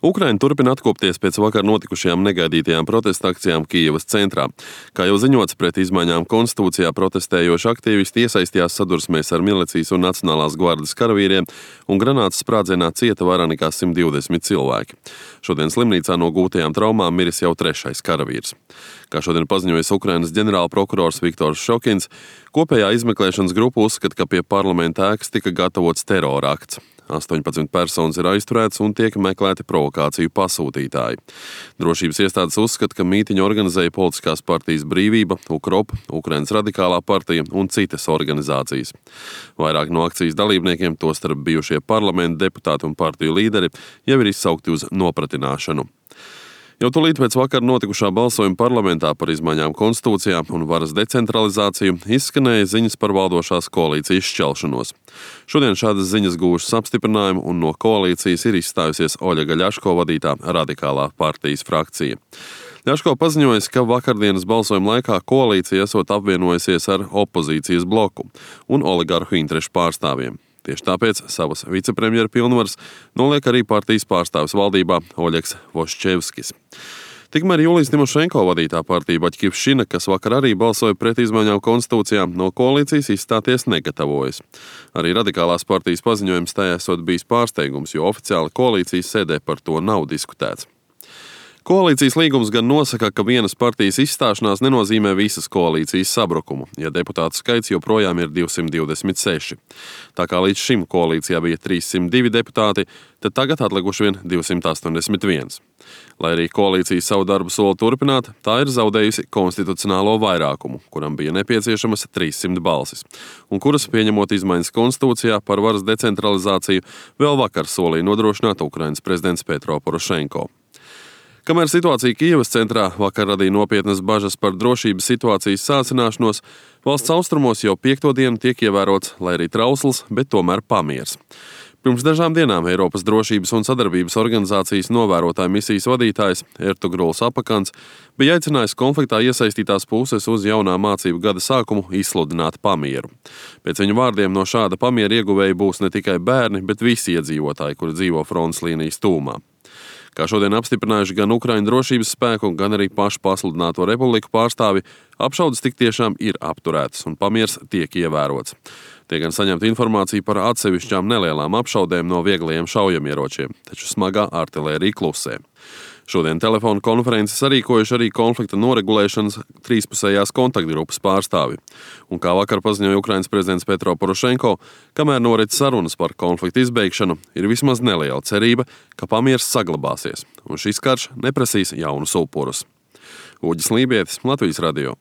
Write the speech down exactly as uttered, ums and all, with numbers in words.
Ukraina turpina atkopties pēc vakar notikušajām negaidītajām protesta akcijām Kijevas centrā. Kā jau ziņots, pret izmaiņām konstitūcijā protestējoši aktīvisti iesaistījās sadursmēs ar milicijas un Nacionālās gvardes karavīriem, un granātas sprādzienā cieta vairāk nekā simt divdesmit cilvēki. Šodien slimnīcā no gūtajām traumām miris jau trešais karavīrs. Kā šodien paziņojis Ukrainas ģenerālprokurors Viktors Šokins, kopējā izmeklēšanas grupa uzskata, ka pie parlamenta ēkas tika gatavots terora akts. astoņpadsmit personas ir aizturētas un tiek meklēti provokāciju pasūtītāji. Drošības iestādes uzskata, ka mītiņu organizēja politiskās partijas Brīvība, UKROP, Ukrainas radikālā partija un citas organizācijas. Vairāk no akcijas dalībniekiem, tostarp bijušie parlamenta deputāti un partiju līderi, jau ir izsaukti uz nopratināšanu. Jau tūlīt pēc vakar notikušā balsojuma parlamentā par izmaiņām konstitūcijā un varas decentralizāciju izskanēja ziņas par valdošās koalīcijas šķelšanos. Šodien šādas ziņas gūšas apstiprinājumu un no koalīcijas ir izstājusies Oļega Ļaško vadītā radikālā partijas frakcija. Ļaško paziņojas, ka vakardienas balsojuma laikā koalīcija esot apvienojusies ar opozīcijas bloku un oligarhu interešu pārstāvjiem. Tieši tāpēc savas vicepremjera pilnvaras noliek arī partijas pārstāvis valdībā Oļegs Voščevskis. Tikmēr Julijas Timošenko vadītā partija Baķkivšina, kas vakar arī balsoja pret izmaiņām konstitūcijā, no koalīcijas izstāties negatavojas. Arī radikālās partijas paziņojums tajā esot bijis pārsteigums, jo oficiāli koalīcijas sēdē par to nav diskutēts. Koalīcijas līgums gan nosaka, ka vienas partijas izstāšanās nenozīmē visas koalīcijas sabrukumu, ja deputātu skaits joprojām ir divsimt divdesmit seši. Tā kā līdz šim koalīcijā bija trīssimt divi deputāti, tad tagad atlikuši vien divsimt astoņdesmit viens. Lai arī koalīcija savu darbu soli turpināt, tā ir zaudējusi konstitucionālo vairākumu, kuram bija nepieciešamas trīssimt balsis, un kuras, pieņemot izmaiņas konstitūcijā par varas decentralizāciju, vēl vakar solīja nodrošināt Ukrainas prezidents Petro Porošenko. Kamēr situācija Kijevas centrā vakar radīja nopietnas bažas par drošības situācijas sācināšanos, valsts austrumos jau piekto dienu tiek ievērots, lai arī trausls, bet tomēr pamiers. Pirms dažām dienām Eiropas drošības un sadarbības organizācijas novērotāja misijas vadītājs Ertugruls Apakans bija aicinājis konfliktā iesaistītās puses uz jaunā mācību gada sākumu izsludināt pamieru. Pēc viņu vārdiem no šāda pamiera ieguvēji būs ne tikai bērni, bet visi iedzīvotāji, kuri dzīvo frontes līnijas tūmā. Kā šodien apstiprinājuši gan Ukraiņu drošības spēku, gan arī pašu pasludināto republiku pārstāvi, apšaudes tik tiešām ir apturētas un pamiers tiek ievērots. Tiek gan saņemta informācija par atsevišķām nelielām apšaudēm no vieglajiem šaujamieročiem, taču smagā artilērija klusē. Šodien telefonu konferences sarīkojuši arī konflikta noregulēšanas trīspusējās kontaktgrupas pārstāvi. Un kā vakar paziņoja Ukrainas prezidents Petro Porošenko, kamēr norit sarunas par konflikta izbeigšanu, ir vismaz neliela cerība, ka pamiers saglabāsies, un šis karš neprasīs jaunus upurus. Uģis Lībietis, Latvijas radio.